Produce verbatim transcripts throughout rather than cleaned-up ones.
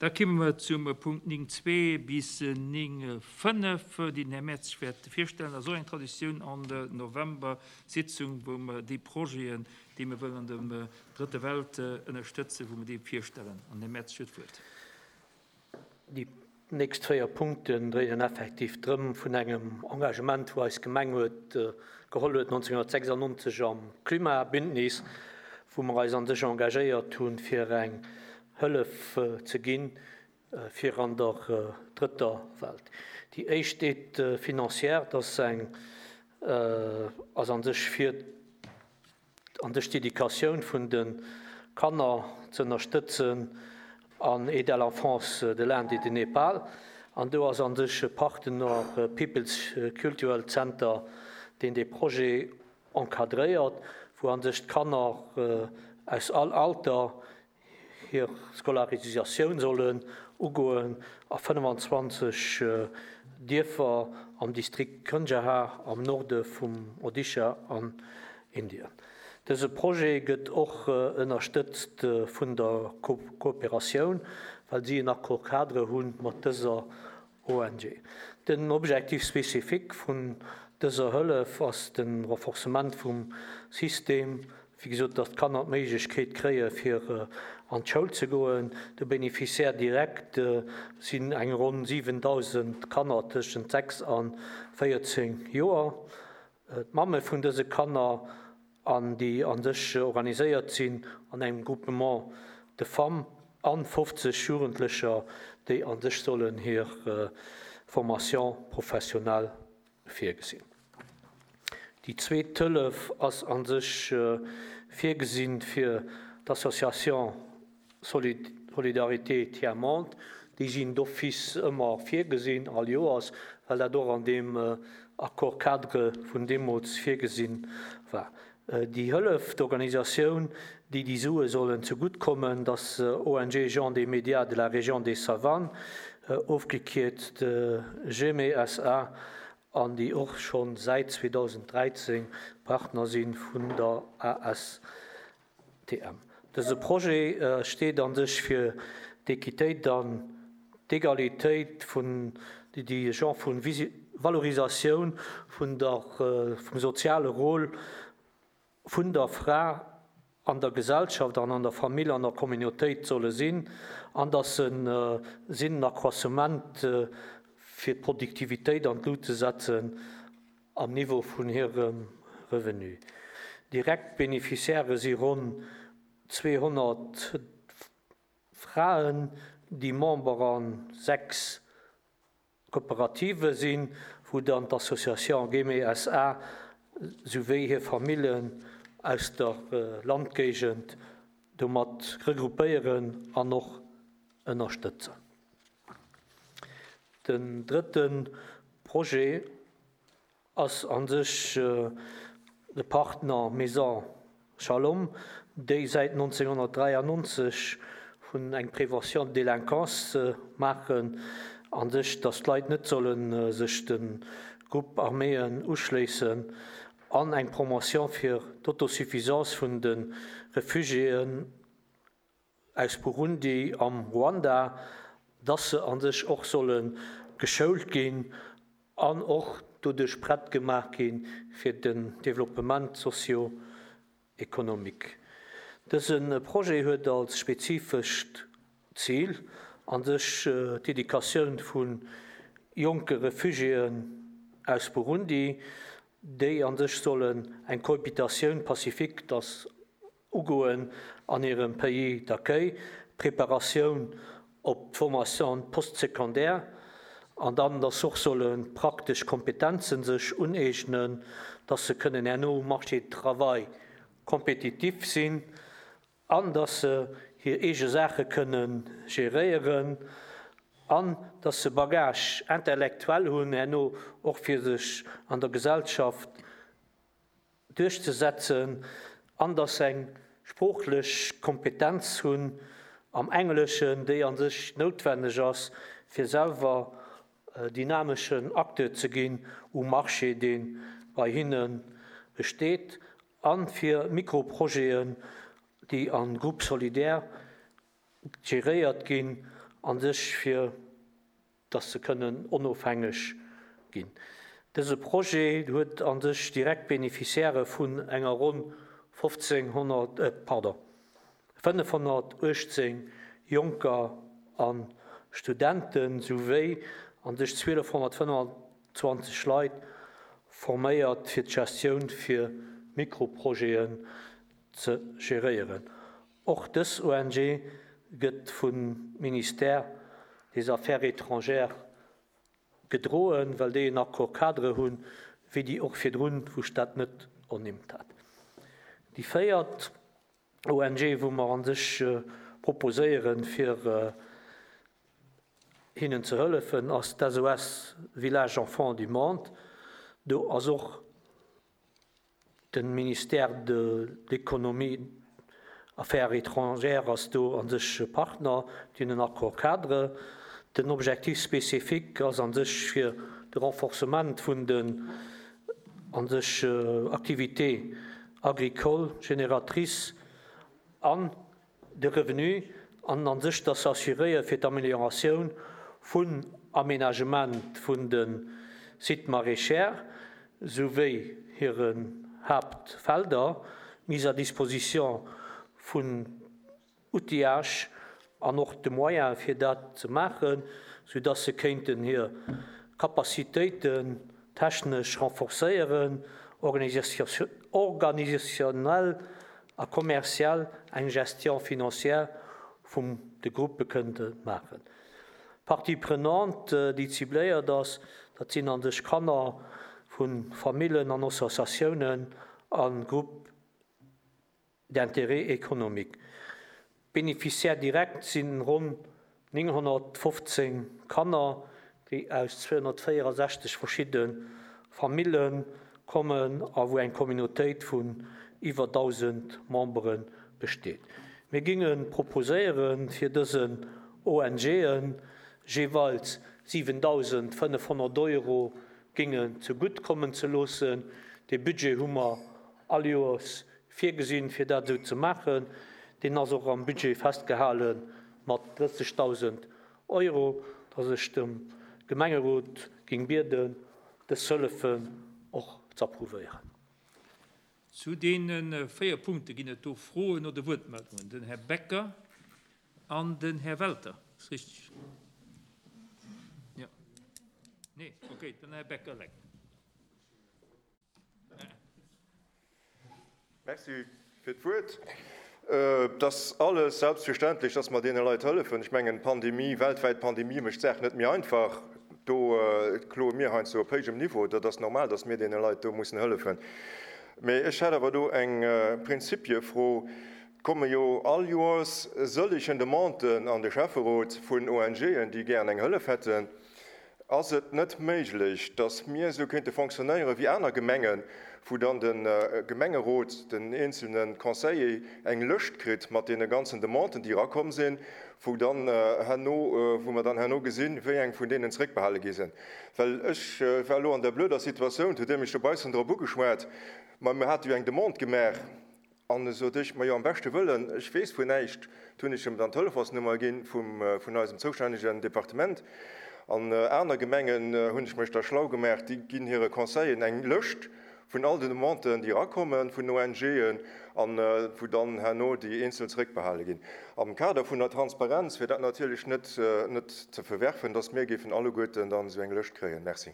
Da komme mer zum Punkt néng zwee bis néng fënnef, déi den Här Mertz wäert virstellen. Dat ass och eng Traditioun an der November-Sitzung, wou mer déi Projeten, déi mer wëllen an der Drëtter Welt ënnerstëtzen, wou mer déi virstellen. An den Här Mertz huet d'Wuert. Déi nächst véier Punkten dréinen effektiv drëm vun engem Engagement, wou eis Gemeng huet geholl huet nonzénghunnertsechsundneunzeg am Klimabündnis, wou mer eis an sech engagéiert hunn, fir eng Hëllef ze ginn fir an der Drëtter Welt. Déi éischt Aide financière, dat eng ass an sech fir an sech d'Educatioun vun de Kanner ze ënnerstëtzen an Aide à l'enfance de l'Inde et du Népal. An do ass an sech e Partner People's Cultural Center, deen dee Projet encadréiert, wou an sech d'Kanner aus all Alter hir Scolarisatioun sollen ugoen a fënnefanzwanzeg Dierfer am Distrikt Kunjaha am Norde vum Odisha an Indien. Dëse Projet gëtt och ënnerstëtzt vun der Kooperatioun, well si en Accord cadre hunn mat dëser O N G. Den Objectif spécifique vun dëser Hëllef ass de Renforcement vum System, wéi gesot, datt d'Kanner d'Méiglechkeet kréie fir an d'Schoul ze goen. De Bénéficiaire direct sinn eng ronn siwendausend Kanner tëschent sechs a véierzéng Joer. D'Mamme vun dëse Kanner an déi an sech organiséiert sinn an engem Groupement de Femmes an fofzeg Jugendlecher, déi an sech sollen hir Formation professionnelle virgesinn. Déi zweet Hëllef ass an sech virgesinn fir d'Association Solidarité Tiers Monde. Déi sinn d'office ëmmer virgesinn all Joers, well dat och an deem Accord cadre vun deemools virgesinn war. Déi Hëllef, d'Organisatioun, déi déi Sue sollen zeguttkommen, dat O N G Gens des Médias de la région des Savanes, ofgekierzt GEME S A, an déi och schonn säit zweedausenddräizéng Partner sinn vun der A S T M. Dëse Projet steet an sech fir d'Equitéit an d'Egalitéit vun déi Genre vun Valorisatioun vun der vum soziale Rôle vun der Fra an der Gesellschaft an an der Famill an der Communautéit solle sinn, an dass se sinn en Accroissement fir d'Produktivitéit an d'Lut ze setzen am Niveau vun hirem Revenu. Direkt Bénéficiaire si ronn zweehonnert Fraen, déi Member an sechs Kooperative sinn, wou dann d'Association GEME S A souwéi hir Famillen aus der Landgéigend domat regroupéieren an och ënnerstëtzen. Den drëtte Projet ass an sech de Partner Maison Shalom, déi säit nonzénghunnertdräiannonzeg vun eng Prévention de délinquance maachen, an sech, datt d'Leit net sollen sech de Groupe arméen uschléissen, an eng Promotion fir d'Autosuffisance vun de Refugiéen aus Burundi am Ruanda, dass se an sech och solle geschoult ginn an och doduerch prett gemaach ginn fir den Développement socio-économique. Dëse Projet huet als spezifescht Zil an sech d'Educatioun vu jonke Refugiéen aus Burundi, déi an sech sollen eng Cohabitation pacifique das ugoen an hirem Pays d'accueil, Preparatioun op d'Formation postsecondaire, an dann dass och solle praktesch Kompetenzen sech uneegnen, dass se kënnen herno um Marché du travail kompetitiv sinn an dass se hir eege Saache kënne geréieren an dass se Bagage intellektuell hunn herno och fir sech an der Gesellschaft duerchzesetzen an dass se eng sproochlech Kompetenz hunn am Engleschen, déi an sech noutwenneg ass, fir selwer dynameschen Acteur ze ginn um Marché, dee bei hinne besteet, an fir Mikroprojeten, déi an Groupe solidaire geréiert ginn, an sech fir dass se kënnen onofhängeg ginn. Dëse Projet huet an sech direkt Beneficiairë vun enger ronn fofzénghonnert, äh, pardon, fënnefhonnertuechtzéng Jonker a Studenten souwéi an sech zwielefhonnertfënnefanzwanzeg Leit forméiert fir d'Gestioun fir Mikroprojeten ze geréieren. Och dës O N G gëtt vum Ministère des Affaires étrangères gedroen, well déi en Accord cadre hunn, wéi déi och virdrun, wou ech dat net ernimmt hat. Déi véiert O N G, wou mer an sech proposéieren, fir hinnen ze hëllefen, ass d'S O S Village Enfants du Monde. Do ass och de Ministère de l'Économie, Affaires étrangères ass do an sech Partner, déi hunn en Accord cadre. Den Objectif spécifique ass an sech fir de Renforcement vun den an sech Activités agricoles génératrices an de Revenu an an sech dat s'assuréiere fir d'Amelioratioun vun Aménagement vun de Sites maraîchers souwéi hiren Haaptfelder, Mise à disposition vun Outillage an och de Moyen fir dat ze maachen, soudatt se kéinten hir Capacitéiten technesch renforcéieren, organisationnel a commercial eng Gestion financière vum de Gruppe kënnte maachen. Partie prenante, déi cibléiert ass, dat sinn an sech Kanner vu Famillen an Associatiounen a Groupes d'intérêt économique. Bénéficiaires directs sinn ronn nénghonnertfofzéng Kanner, déi aus zweehonnertvéierundsechzeg verschidde Famille kommen a wou eng Communautéit vun iwwer dausend Membere besteet. Mir ginge proposéieren, fir dësen O N G'en jeeweils siwendausendfënnefhonnert Euro gingen zegutt kommen ze loossen. Dee Budget hu mer all Joers virgesinn, fir dat esou ze maachen. Deen ass och am Budget festgehale mat drëssegdausend Euro, dass ech dem Gemengerot ging bieden, dës Hëllefen och ze approuvéieren. Zu deene véier Punkte ginn et do Froen oder Wuertmeldungen. Den Här Becker an den Här Welter. Ass richteg? Jo. Nee, okay, den Här Becker eleng. Merci fir d'Wuert. Et ass alles selbstverständlech, dass mer deene Leit hëllefen. Ech mengen, d'Pandemie, weltwäit Pandemie mécht d'Saach net méi einfach. Do kloe mir heiansdo op héijem Niveau. Dat ass normal, dass mir deene Leit do mussen hëllefen. Mee ech hätt awer do eng Prinzipiefro. Et komme jo all Joers sëllegen Demanden an de Schäfferot vun O N G'en, déi gären eng Hëllef hätten. Ass et net méiglech, dass mir esou kéinte fonctionnéiere wéi aner Gemengen, wou dann de Gemengerot, den eenzelne Conseiller eng Lëscht kritt mat deene ganzen Demanden, déi erakomm sinn, wou dann herno, wou mer dann herno gesinn, wéi eng vun deenen zeréckbehale gi sinn? Well ech war elo an der blöder Situatioun, hutt Dir mech dobaussen drop ugeschwat, ma mir hate jo eng Demande gemaach. An e sot ech, Majo, am beschte Wëllen, ech weess vun näischt. Du hunn ech em dann d'Telefonsnummer ginn vum, vun eisem zoustännegen Departement. An aner Gemengen hunn ech mech da schlau gemaach, déi ginn hire Conseilleren eng Lëscht vun all den Demanden, déi erakommen vun O N G'en, an wou dann herno déi eenzel zeréckbehale ginn. Am Kader vun der Transparenz wier dat natierlech net, net ze verwerfen, dass mir géifen alleguerten dann esou eng Lëscht kréien. Merci.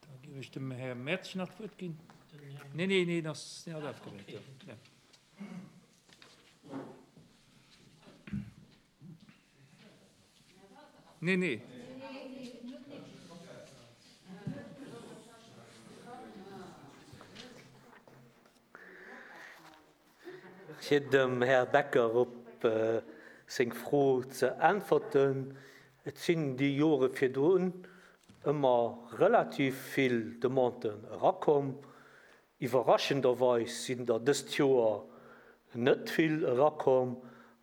Da géif ech dem Här Mertsch nach d'Wuert ginn. Nee, nee, nee, das hat aufgehört. Ja. Nee, nee. Fir dem Här Becker op seng Fro ze äntwerten, Et sinn déi Jore virdrun ëmmer relativ vill Demanden erakomm. Iwwerraschenderweis sinn der dëst Joer net vill erakomm,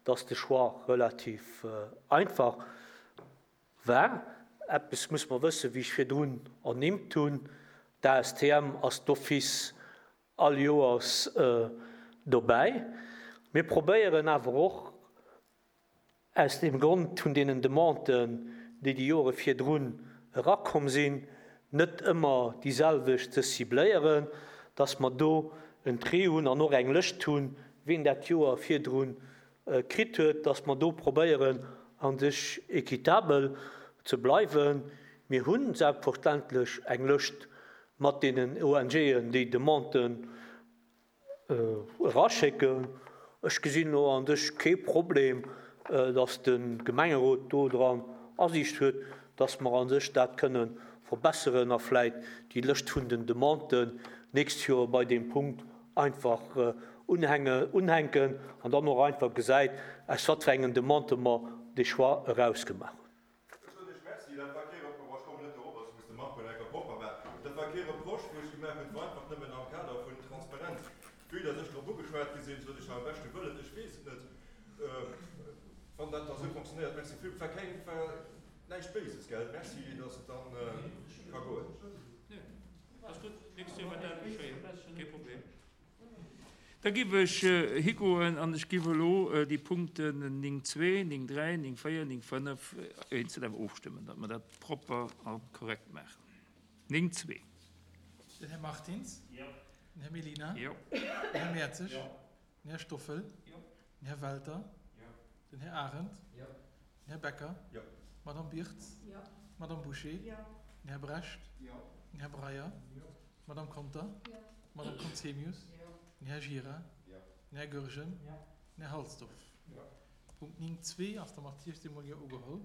dass de Choix relativ einfach war. Eppes muss mer wëssen, wéi ech virdrun ernimmt hunn, d'A S T M ass d'office all Joers dobäi. Mir probéieren awer och, Aus deem Grond vun deenen Demanden, déi déi Jore virdrun erakomm sinn, net ëmmer déi selwecht ze cibléieren, dass mer do en Tri hunn an och eng Lëscht hunn, wien dat Joer virdrun kritt huet, dass mer do probéieren a sech équitabel ze bleiwen. Mir hu selbstverständlech eng Lëscht mat deenen ONGen, déi Demanden eraschécken. Ech gesinn elo an sech kee Problem, dass de Gemengerot do dran Asiicht huet, dass mer a sech dat kënne verbesseren a vläit déi Lëscht vun den Demanden d'nächst Joer bei deem Punkt einfach unhänken an dann och einfach gesäit, aus wat fir engen Demandë mer dee Choix erausgemaach hunn. Ech soen Iech Merci. Dat war kee Reproche, ech kommen net dorop, ech muss dem Marco enker propper maachen. Dat war kee Reproche, wou ech gemaach hunn, et war einfach nëmmen am Kader vun Transparenz. Vue dass ech drop ugeschwat gi sinn, sot ech am beschte Wëllen, ech weess et net, wann dat da sou fonctionnéiert. Merci vill. Et war keng, et war näischt Béises, gell? Merci, dass et dann ka goen. Nee, ass gutt. Nächst Joer wäert dat geschéien. Kee Problem. Da giff ech higoen an ech giff elo déi Punkten néng zwee, néng dräi, néng véier, néng fënnef eenzel awer ofstëmmen, datt mer dat propper a korrekt maachen. Néng zwee. Den Här Martins. Jo. Den Här Mellina. Jo. Den Här Mertzig. Jo. Den Här Stoffel. Jo. Den Här Welter. Jo. Den Här Arendt. Jo. Den Här Becker. Jo. D'Madame Birtz. Jo. D'Madame Bouché. Jo. Den Här Brecht. Jo. Den Här Breyer. Jo. D'Madame Conter. Jo. D'Madame Conzemius. Jo. Den Här Gira. Jo. Den Här Goergen. Jo. Den Här Halsdorf. Jo. Punkt néng zwee ass da mat eestëmmeger Jo ugeholl.